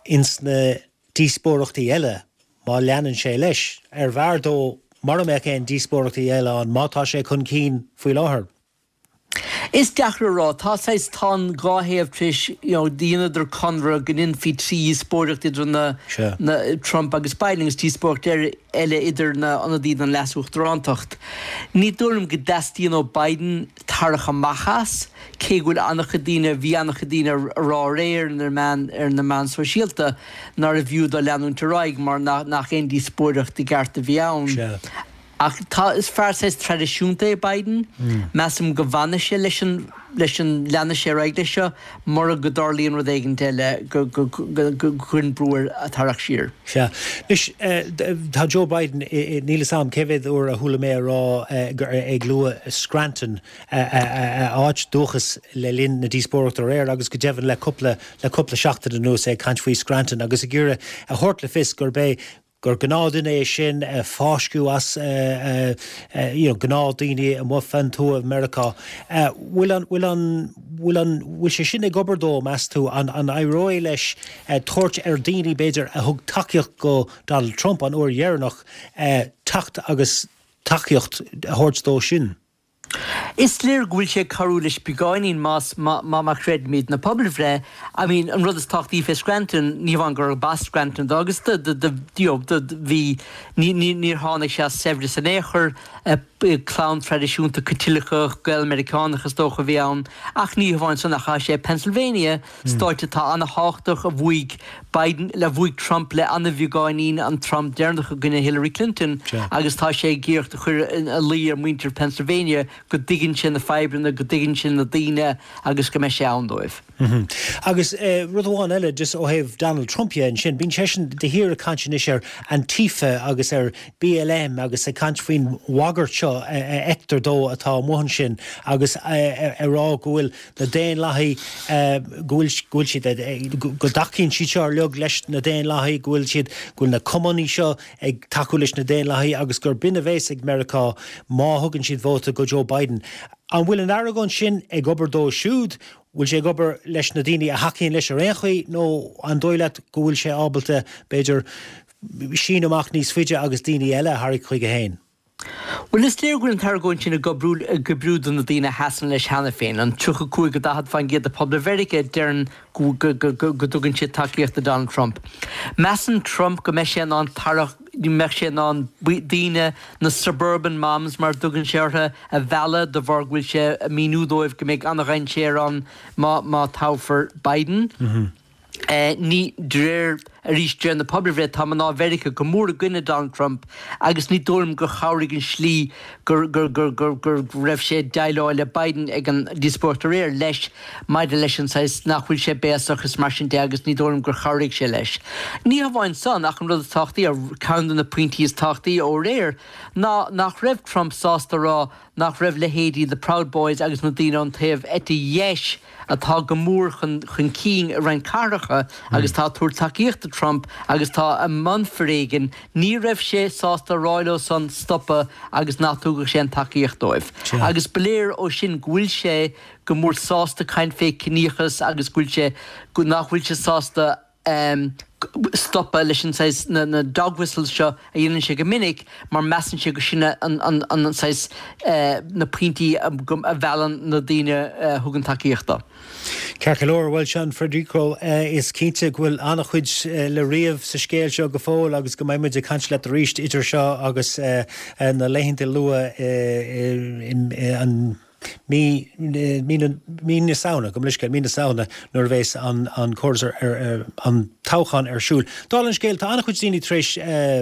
ins na díospóireachtaí eile má leanann sé leis? Ar bhfearr dó mura mbeadh aon díospóireachtaí eile ann má tá sé chun cinn faoi láthair? Is deacair a rá. Tá saghas, tá an dá thaobh tar éis, you know, dheineadar conradh go ndéanfaí 3 dhíospóireacht idir na, na, Trump agus Biden agus díospóireacht eile idir na ionadaithe don leas-uachtarántacht. Ní dóigh liom go dteastaíonn ó Biden tarrach amach as, cé go bhfuil an-chuid daoine, bhí an-chuid daoine a rá aréir ar na meáin, ar na meáin sóisialta nárbh fhiú dó leanúint ar aghaidh mar nach, nach aon díospóireacht i gceart a bhí ann. Sea. Ach tá, is fear saghas traidisiúnta é Biden. Measaim go bhfanfaidh sé leis an, leis an, leanfaidh sé ar aghaidh leis seo mura go dtarlaíonn rud éigint eile go, go, go, go gcuireann brú air tarrac siar. Sea. Anois, tá Joe Biden, níl fhios a'm cé mhéad uair a chuala mé a rá, ag lua Scranton, a áit dúchais le linn na díospóireachta aréir agus go deimhin le cúpla, le cúpla seachtain anuas é ag caint faoi Scranton agus ag iarraidh a thabhairt le fios gurb é gur gnáthdhuine é sin, a fáisceadh as you know gnáthdaoine amuigh fén tuath i Meiriceá. Bhfuil an, bhfuil an, bhfuil an, bhfuil sé sin ag obair dó, meas tú? An, an éireoidh leis tabhairt ar daoine, b'fhéidir, a thug tacaíocht go Donald Trump an uair dheireanach, teacht agus tacaíocht a thabhairt dó sin? Is léir go bhfuil sé ag cabhrú leis beagáinín más má chreidimid na pobalbhreith. I mean an rud is tábhachtaí fé Scranton, ní hamháin gurb as Scranton dó agus do do do you know do bhí ní ní níor tháinig sé as saibhreas in aon chor, clann traidisiúnta Caitliceach Gael-Meiriceánach is dócha a bhí ann ach ní hamháin san ach tá sé i Pennsylvania Stáit atá an-thábhachtach a bhuaigh Biden, a bhuaigh Trump le an-bheagáinín an t-am deireanach i gcoinne Hillary Clinton agus tá sé ag iarracht a chur ina luí ar mhuintir Pennsylvania go dtuigeann sé na fadhbanna, go dtuigeann sé na daoine agus go mbeidh sé ann dóibh. Agus rud amháin eile, just ó thaobh Donald Trump dhe ansin, bíonn seisean de shíor ag caint anois ar Antifa agus ar BLM agus ag caint faoin bhagairt seo a fheictear dó atá amuigh ansin agus ag rá go bhfuil na Daonlathaigh, go bhfuil, go bhfuil siad, go dtacaíonn siad seo uilig leis na Daonlathaigh, go bhfuil siad, go bhfuil na Cumannaigh seo ag tacú leis na Daonlathaigh agus gur b'in a bhéas ag Meiriceá má thugann siad vóta go Joe Biden. An bhfuil an argóint sin ag obair dó siúd? Bhfuil sé ag obair leis na daoine a thacaíonn leis ar aon chaoi nó an dóigh leat go bhfuil sé ábalta, b'fhéidir, síneadh amach níos faide agus daoine eile a tharraingt chuige féin? Bhuel, is léir go bhfuil an t-argóint sin ag oibriú, ag oibriú do na daoine a sheasann leis cheana féin, an 35-40% de phobal Mheiriceá a deireann go, go, go, go, go dtugann siad tacaíocht do Donald Trump. Measann Trump go mbeidh sé in ann tarrac, mbeadh sé in ann daoine, na suburban moms mar a dtugann sé orthu, a mhealladh de bharr go bhfuil sé ag míniú dóibh go mbeidh an-dhainséar ann má, má toghfar Biden. Ní, de réir, arís, de réir na pobalbhreith, tá mná Mheiriceá go mór i gcoinne Donald Trump agus ní dóigh liom gur chabhraigh an slí gur, gur, gur, gur, gur raibh sé ag déileáil le Biden ag an díospóireacht aréir leis maidir leis an saghas nach bhfuil sé béasach is mar sin de agus ní dóigh liom gur chabhraigh sé leis. Ní hamháin san ach an rud is tábhachtaí, ceann de na pointí is tábhachtaí ó aréir ná nach raibh Trump sásta a rá nach raibh leithéidí the Proud Boys agus na daoine ón taobh eite dheis atá go mór chun chun cinn i roinnt cathracha agus tá ag tabhairt tacaíocht do Trump agus tá i mbun foréigin, ní raibh sé sásta a rá leo san stopadh agus nach dtugadh sé an tacaíocht dóibh. Agus ba léir ó sin go bhfuil sé go mór sásta caint fé ciníochas agus go bhfuil sé, nach bhfuil sé sásta stopadh leis an saghas, na dog whistles seo a dhéanann sé go minic mar measann sé go sin an saghas, na pointí a mheallann na daoine a thugann tacaíocht dó. Ceart go leor, bhuel Sean Federico, is cinnte go bhfuil an-chuid le ríomh sa scéal seo go fóill agus go mbeidh muid ag caint leat arís idir seo agus na laethanta luath i an Mí, mí na, mí na Samhna, gabh mo leithscéal, mí na Samhna nuair a bhéas an, an córas ar, ar, an toghchán ar siúl. Dála an scéil, tá an-chuid daoine tar éis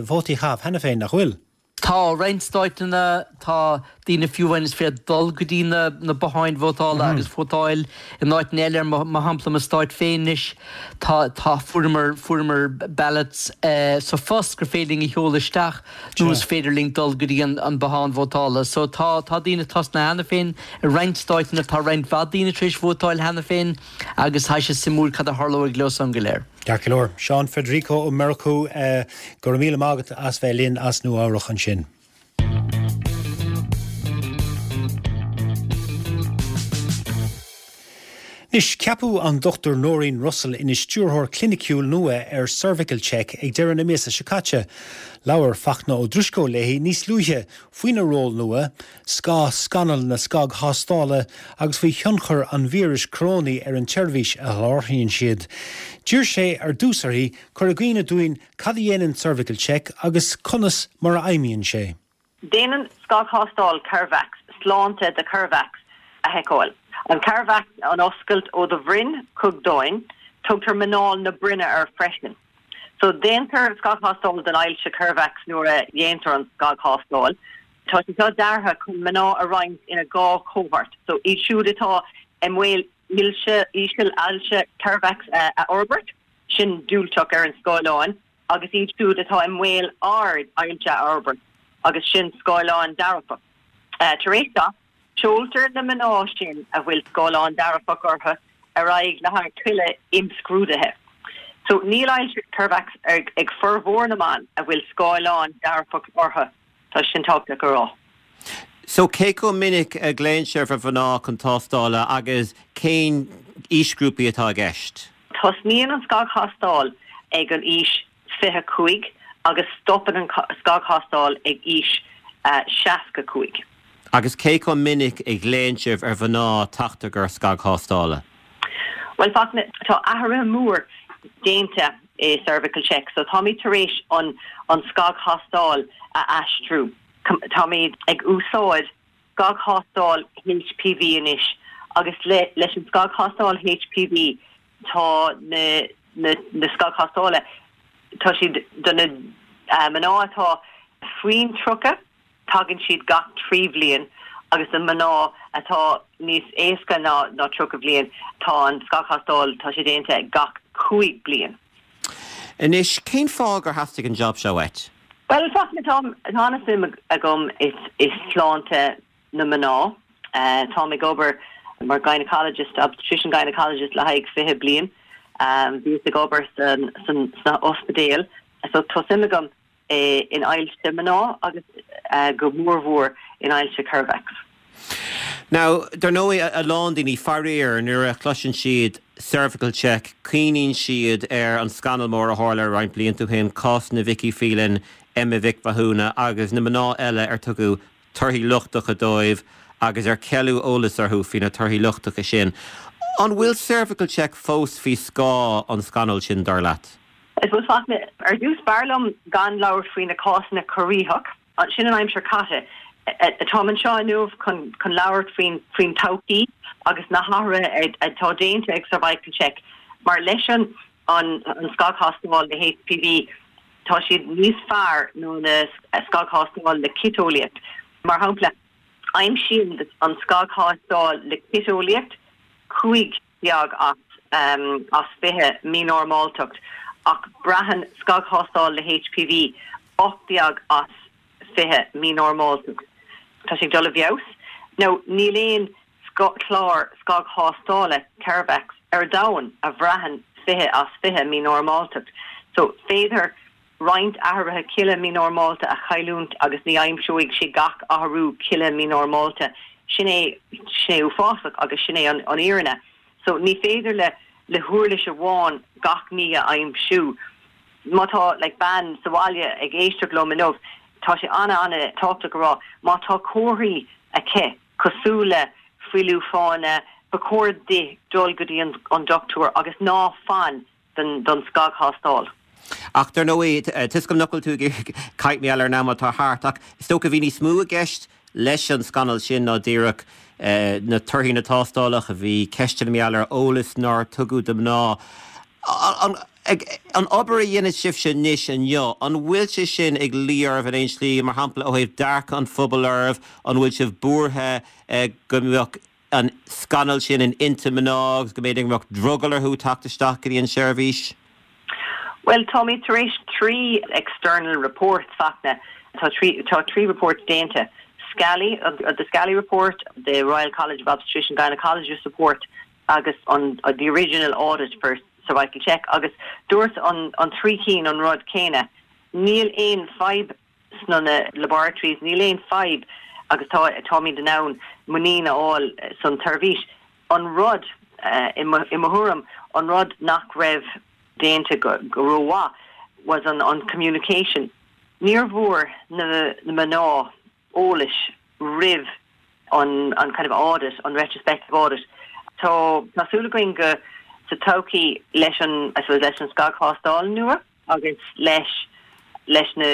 vótaí a chaitheamh cheana féin, nach bhfuil? Tá, roinnt stáiteanna, tá daoine fiú amháin is féidir dul go dtí na, na botháin vótála agus vótáil in áiteanna eile, ar mo, mo shampla mo stáit féin anois, tá, tá, fuaireamar, fuaireamar ballots sa phost gur féidir linn a sheoladh isteach. nó is féidir linn dul go dtí an bothán vótála. So tá, tá daoine tosnaithe cheana féin i roinnt stáiteanna, tá roinnt mhaith daoine tar éis vótáil cheana féin agus tá sé suimiúil cad a tharlóidh leo san go léir. Ceart go leor. Seán Federico Ó Murchú, go raibh míle maith agat as bheith linn as Nua Eabhrach ansin. Anois, ceapadh an Dr Noreen Russell ina Stiúrthóir Cliniciúil nua ar Cervical Check ag deireadh na míosa seo caite. Labhair Fachtna Ó Drisceoil léi níos luaithe faoina ról nua, scáth scannal na scagthástála agus faoi thionchar an víris corónaigh ar an tseirbhís a sholáthraíonn siad. D'iarr sé ar dtús uirthi cur i gcuimhne dúinn cad a dhéanann Cervical Check agus conas mar a fheidhmíonn sé. Déanann scagthástáil ceirbheacs sláinte do cheirbheacs a sheiceáil. An ceirbheacs, an oscailt ó do bhroinn chuig d'fháinne, tugtar muineál na broinne air freisin. So, déantar scagthástáil don ailse ceirbheacs nuair a dhéantar an scagthástáil. Tá sé seo deartha chun mná a roinnt ina dhá chohórt, so iad siúd atá i mbaol íseal ailse ceirbheacs a fhorbairt, sin diúltach ar an scáileán, agus iad siúd atá i mbaol ard ailse a fhorbairt, agus sin scáileán dearfach. Tar éis seo, seoltar na mná sin a bhfuil scáileán dearfach orthu ar aghaidh le haghaidh tuilleadh imscrúduithe. So, níl ailse ceirbheacs ag formhór na mban a bhfuil scáileán dearfach orthu, tá sin tábhachtach a rá. So, cé chomh minic a ghlaonn sibh ar mhná chun tástála agus cén aoisghrúpaí atá i gceist? Tosnaíonn an scagthástáil ag an aois 25 agus stopann an scagthástáil ag aois 65. Agus cé chomh minic a ghlaonn sibh ar mhná teacht i gcomhair scagthástála? Bhuel, Fachtna, tá athruithe mór déanta i Cervical Check so táimid tar éis an an scagthástáil a aistriú. Táimid ag úsáid scagthástáil HPV anois agus leis an scagthástáil HPV tá na na scagthástála tá siad do na mná atá faoin 30 tagann siad gach 3 bhliain agus do mná atá níos aosta ná ná 30 bhliain tá an scagthástáil tá sé déanta gach 5 bliain. Anois, cén fáth gur theastaigh an job seo uait? Bhuel, Fachtna, tá an-suim agam i sláinte na mná. Táim ag obair mar gynecologist, obstetrician gynecologist le haghaidh 20 bliain. Bhíos ag obair sna ospidéil so tá suim agam in ailse mná agus go mórmhór in ailse ceirbheacs. Now, dar ndóigh, a lán daoine, faraor, nuair a chloiseann siad cervical check, cuimhníonn siad ar an scannal mór a tharla roinnt blianta ó shin, cásanna Vicky Phelan, Emma Mhic Mhathúna agus na mná eile ar tugadh torthaí lochtacha dóibh agus ar ceileadh eolas orthu faoi na torthaí lochtacha sin. An bhfuil cervical check fós faoi scáth an scannail sin, dar leat? Bhuel, Fachtna, ar dtús, b'fhearr liom gan labhairt faoi na cásanna corraitheach. Sin an aimsir caite. Táim anseo inniu chun labhairt faoin todhchaí agus na hathruithe atá déanta ag Cervical Check. Mar leis an scagthástáil le HPV, tá siad níos fearr ná na scagthástáil le citeolaíocht. Mar shampla, aimsíonn an scagthástáil le citeolaíocht 15 as 20 mínormáltacht, ach braitheann scagthástáil le HPV 18 as 20 mínormáltacht. Tá sé ag dul i bhfeabhas. Now, níl aon chlár scagthástála ceirbheacs ar domhan a bhraitheann 20 as 20 mínormáltacht. So, féadtar roinnt athruithe cille mínormálta a chailliúint agus ní aimseoidh sé gach athrú cille mínormálta. Sin é, sin é uafásach agus sin é an fhírinne. So, ní féidir le le huirlis amháin gach ní a aimsiú. Má tá like bean sa bhaile ag éisteacht liom inniu, tá sé an-an-tábhachtach a rá, má tá comharthaí aici cosúil le fuiliú fáinne, ba chóir di dul go dtí an dochtúir agus ná fan don scagthástáil. Ach dar ndóigh, tá 'fhios agam nach bhfuil tú ag iarraidh caint mar gheall ar an am atá thart, ach is dócha bhí níos mó i gceist leis an scannal sin ná díreach na torthaí na tástálacha, bhí ceisteanna mar gheall ar eolas nár tugadh do mhná. An obair a dhéanann sibhse anois inniu, an bhfuil sé sin ag luí oraibh in aon slí, mar shampla ó thaobh dearcadh an phobail oraibh, an bhfuil sibh buartha go mbeadh an scannal sin in intinn mná agus go mb'fhéidir go mbeadh drogall orthu teacht isteach go dtí an tseirbhís? Bhuel, táimid tar éis 3 external reports, Fachtna, tá tá 3 report déanta, Scally, the Scally report, the Royal College of Obstetrician Gynaecologists report agus an the original audit for cervical check agus dúirt an an 3 cinn an rud céanna, níl aon fadhb sna na laboratories, níl aon fadhb agus tá táimid in ann muinín a fháil san tseirbhís. An rud. i mo thuairim, an rud nach raibh déanta go rómhaith was an an communication. Níor bhfuair na mná eolais roimh an an kind of audit, an retrospective audit. Tá tá súil againn go sa todhchaí leis an, I suppose, leis an scagthástáil nua agus leis leis na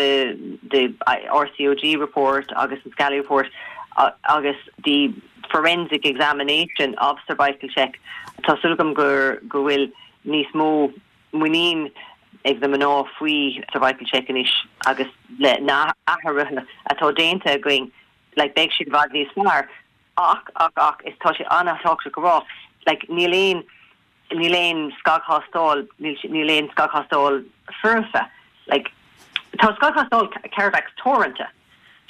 the RCOG report agus an Scally report agus the forensic examination of cervical check, tá súil agam gur go bhfuil níos mó muinín ag na mná faoi cervical check anois agus le na athruithe atá déanta againn like beidh siad i bhfad níos fearr ach ach ach is tá sé an-tábhachtach a rá like níl aon níl aon scagthástáil níl níl aon scagthástáil foirfe like tá scagthástáil ceirbheacs teoranta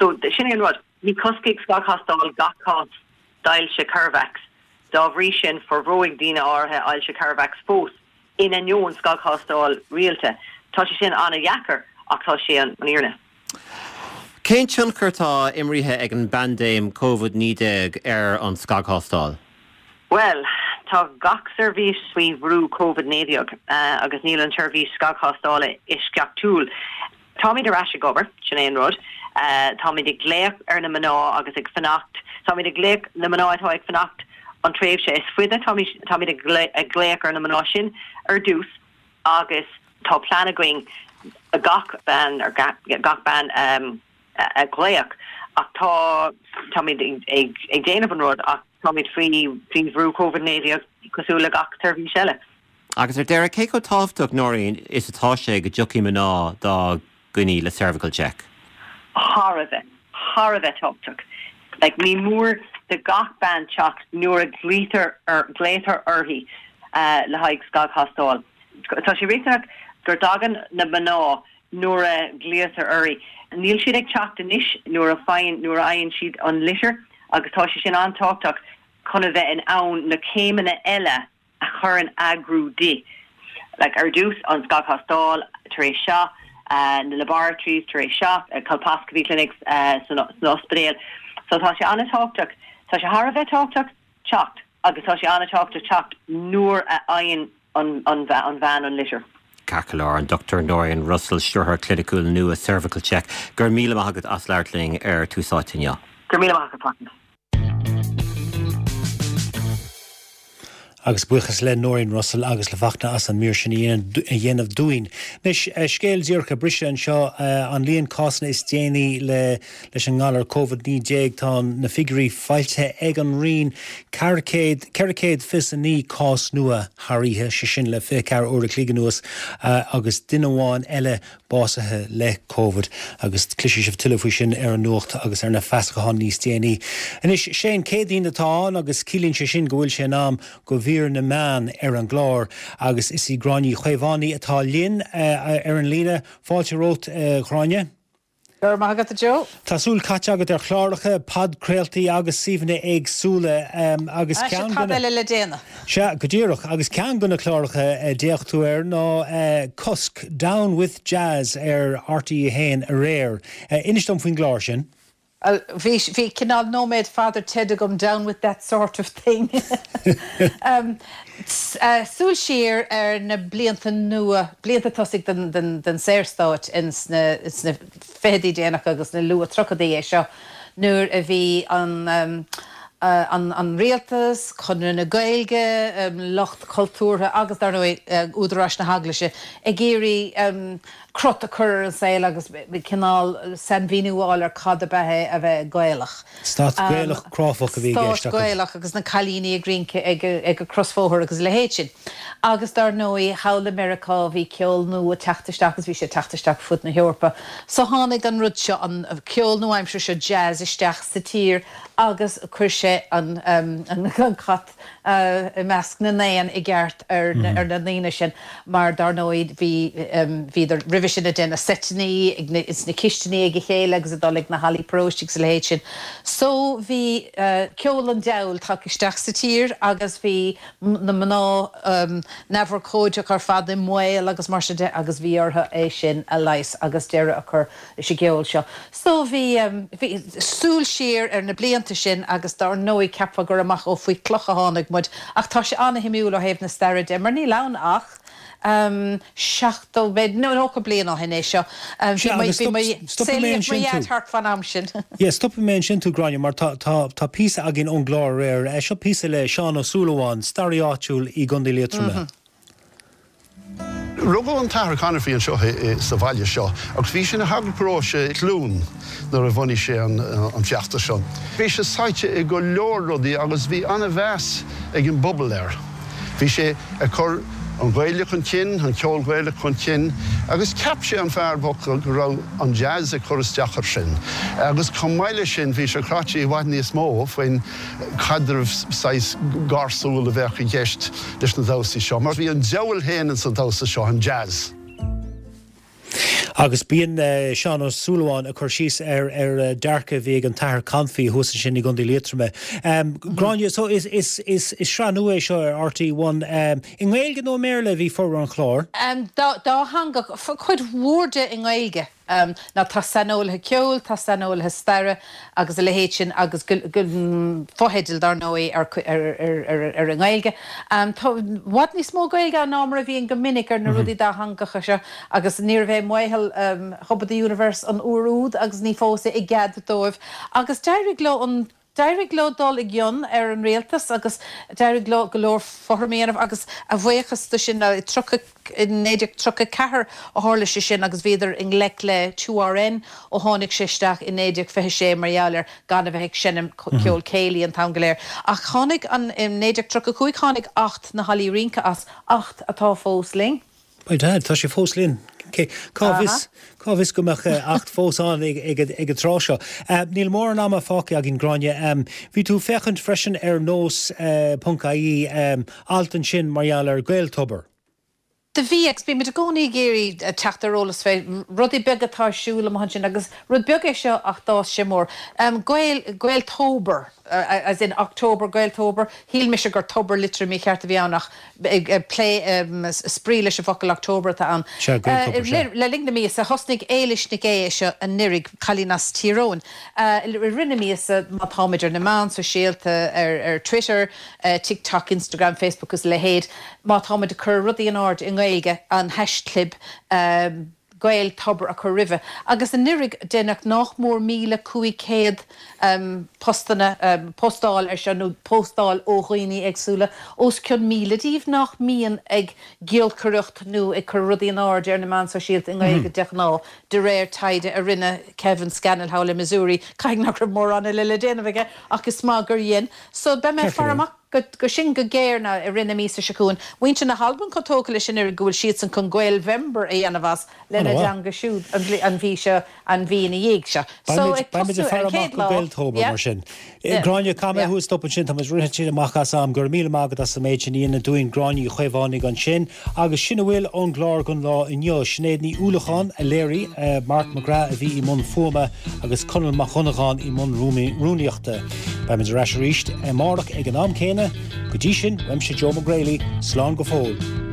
so sin é an rud ní choscfaidh scagthástáil gach cás d'ailse ceirbheacs dá bhrí sin forbróidh daoine áirithe ailse ceirbheacs fós in ainneoin scagthástáil rialta. Tá sé sin an-dheacair ach tá sé an fhírinne. Cén tionchar atá imrithe ag an bpaindéim Covid-19 ar an scagthástáil? Bhuel, tá gach seirbhís faoi bhrú Covid-19 agus níl an tseirbhís scagthástála eisceachtúil. Táimid ar ais ag obair, sin é an rud. Táimid ag glaoch ar na mná agus ag fanacht, táimid ag glaoch na mná atá ag fanacht an tréimhse is faide, táimid, táimid ag glaoch ar na mná sin ar dtús agus tá plean againn gach bean, ar gach bean a ghlaoch ach tá, táimid ag, ag déanamh an rud ach táimid faoi, faoi bhrú Covid-19 cosúil le gach seirbhís eile. Agus ar deireadh, cé chomh tábhachtach, Noreen, is atá sé go dtiocfaidh mná dá gcoinní le Cervical Check? Thar a bheith, thar a bheith tábhachtach. Like, ní mór do gach bean teacht nuair a ghlaoitear ar, glaoitear uirthi le haghaidh scagthástáil. Tá sé riachtanach go dtagann na mná nuair a ghlaoitear uirthi. Níl siad ag teacht anois nuair a faigheann, nuair a fhaigheann siad an litir agus tá sé sin an-tábhachtach chun a bheith in ann na céimeanna eile a chur in eagrú di. Like, ar dtús, an scagthástáil, tar éis seo, na laboratories, tar éis seo, colposcopy clinics san ospidéal. So tá sé an-tábhachtach, tá sé thar a bheith tábhachtach teacht agus tá sé an-tábhachtach teacht nuair a fhaigheann an bhean an litir. Ceart go leor, an Dr Noreen Russell, Stiúrthóir Cliniciúil nua Cervical Check, go raibh míle maith agat as labhairt linn ar Tús Áite inniu. Go raibh míle maith agat, Fachtna. Agus buíochas le Noreen Russell agus le Fachtna as an mír sin a dhéanamh dúinn. Anois, scéal díreach ag briseadh anseo, an líon cásanna is déanaí le leis an ngalar Covid-19, tá na figiúirí foilsithe ag an Roinn, 400, 429 cás nua thar oíche, sé sin le 24 uair a chloig anuas, agus duine amháin eile básaithe le Covid agus cloisfidh sibh tuilleadh faoi sin ar an nuacht agus ar na feasacháin níos déanaí. Anois, sé an Céadaoin atá ann agus ciallaíonn sé sin go bhfuil sé in am do mhír na meán ar an gclár agus is í Gráinne Uí Chaomhánaigh atá linn ar an líne. Fáilte romhat, a Ghráinne. Go raibh maith agat, a Joe. Tá súil caite agat ar chláracha, podchraoltaí agus suíomhanna éagsúla agus ceann de na. Tada eile le déanamh. Sea, go díreach. Agus ceann de na cláracha a d'fhéach tú air ná Cosc, Down with Jazz ar RTÉ 1 aréir. Inis dom faoin gclár sin. Bhuel, bhí, bhí cineál nóiméad Father Ted agam, down with that sort of thing. Súil siar ar na blianta nua, blianta tosaigh den Saorstát ins na fichidí déanacha agus na luath-tríochaidí é seo, nuair a bhí an an rialtas, Conradh na Gaeilge, lucht cultúrtha agus, dar ndóigh, údaráis na hEaglaise ag iarraidh crot a chur ar an saol agus cineál sainmhíniú a fháil ar cad ab ea é a bheith Gaelach. Stát Gaelach cráifeach a bhí i gceist acu. Stát Gaelach agus na cailíní ag rince ag an crosbhóthar agus a leithéid sin. Agus dar ndóigh, thall i Meiriceá bhí ceol nua ag teacht isteach agus bhí sé ag teacht isteach fud na hEorpa. So tháinig an rud seo, an ceol nua-aimseartha seo, jazz, isteach sa tír agus chuir sé an cat i measc na n-éan i gceart ar na daoine sin mar dar ndóigh bhí, bhíodar roimhe. Roimhe sin ag déanamh seiteannaí ag na, ins na cistiní ag a chéile agus ag dul ag na hallaí paróiste agus a leithéid sin. So bhí ceol an diabhail tagtha isteach sa tír agus bhí na mná neamhurchóideach ar fad i mbaol agus mar sin de agus bhí orthu é sin a leigheas agus deireadh a chur leis an gceol seo. So bhí, bhí súil siar ar na blianta sin agus dár ndóigh cheapfá gur amach ó faoi chloch a tháinig muid ach tá sé an-shuimiúil ó thaobh na staire de mar níl ann ach 70, b'fhéidir 90 bliain ó shin é seo. Bhí Sea, mo, agus bhí stop, mo, stopfaidh mé saolaíodh mo ansin dhaid tú. thart fán am sin. Yeah, stopfaidh mé ansin tú, Gráinne, mar tá, tá, tá píosa againn ón gclár aréir. Seo píosa le Seán Ó Súilleabháin, staraí áitiúil i gContae Liatroma. Rugadh an tAthair Conophy anseo sa bhaile seo agus bhí sé ina shagart paróiste i gCluain nuair a bhunaigh sé an feachtas seo. Bhí sé sáite i go leor rudaí agus bhí an-mheas ag an bpobal air. Bhí sé ag cur an Ghaeilge chun cinn, an ceol Gaelach chun cinn agus cheap sé, an fear bocht, go raibh an jazz ag cur isteach air sin. Agus chomh maith leis sin bhí sé cráite i bhfad níos mó faoin chaidreamh saghas gársúil a bheadh i gceist leis na damhsaí seo, mar bhí an diabhal féin ins an damhsa seo, an jazz. Agus bíonn Seán Ó Súilleabháin ag cur síos ar ar dearcadh a bhí ag an tAthair Confaí thuas ansin i gContae Liatroma. Gráinne, so is is is is sraith nua é seo ar RTÉ One. I nGaeilge nó i mBéarla a bhí formhór an chláir? Dátheangach, cuid mhór de i nGaeilge. Now tá saineolaithe ceoil, tá saineolaithe staire agus a leithéid sin agus fotheidil dar ndóigh ar ar an nGaeilge. Tá i bhfad níos mó Gaeilge ann ná mar a bhíonn go minic ar na rudaí dátheangacha seo agus níorbh é Mohill Hub of the Universe an uair úd agus ní fós é i gcead dóibh agus d'éirigh leo an D'éirigh leo dul i gcion ar an rialtas agus d'éirigh leo go leor fothram a dhéanamh agus a bhuíochas do sin, i 1934 a tharla sé sin agus bhíodar i ngleic le 2RN ó tháinig sé isteach i 1926 mar gheall ar gan a bheith ag seinm ceol céilí an t-am go léir. Ach tháinig an, i 1935 tháinig Acht na Hallaí Rince as, Acht atá fós linn. By dad, tá sé fós linn. Cá bhfios, cá bhfios go mbeadh Acht fós ann ag an tráth seo. Níl mórán ama fágtha againn, Gráinne. Bhí tú ag féachaint freisin ar nós ponc ie, alt ansin mar gheall ar Gaeltober. Do bhí, agus bímid i gcónaí ag iarraidh teacht ar eolas fé rudaí beaga atá ar siúl amuigh ansin agus rud beag é seo ach d'fhás sé mór. Gael, Gaeltober, as in October, Gaeltober, shíl mise gur tobar litriú mícheart a bhí ann ach ag plé spraoi leis an bhfocal October atá ann. Sea, Gaeltober, sea. Le linn na míosa, thosnaigh Éilis Nic Aodha é seo anuraidh, cailín as Tír Eoghain. I rith na míosa, má táimid ar na meáin sóisialta, ar Twitter, TikTok, Instagram, Facebook agus a leithéid, má táimid ag cur rudaí in airde i nGaeilge, an haischlib, Gaeltober a chur roimhe. Agus anuraidh deineadh nách mór 1,500 postanna, postáil ar seo nó postáil ó dhaoine éagsúla, os cionn 1,000 díobh nach mbíonn ag giolcaireacht nó ag cur rudaí in airde ar na meáin sóisialta i nGaeilge de ghnáth, de réir taighde a rinne Kevin Scannell thall i Missouri. Caithfidh nach raibh mórán eile le déanamh aige ach is maith gur dhein. So beidh mé ag faire amach. go sin go géar now i rith na míosa seo chugainn. Muintir na hAlban chomh tógtha leis anuraidh go bhfuil siadsan chun Gaelvember a dhéanamh as lena dteanga siúd an mhí seo, an mhí ina dhiaidh seo. So ag tosnú ar an chéad lá, Gaeltober yeah. mar sin. Gráinne, caithfidh mé thú a stop ansin, tá muid rite amach as am. Go raibh míle maith agat as an méid sin a dhéanamh dúinn, Gráinne Uí Chaomhánaigh ansin. Agus sin a bhfuil ón gclár don lá inniu. Sinéad Ní Uallacháin a léirigh, Mark McGrath a bhí i mbun fuaime agus Conall Mac Dhonnagáin i mbun rúnaíochta. Beimid ar ais arís amárach ag an am céanna. Go dtí sin, uaimse Joe Mac Grailí, slán go fóill.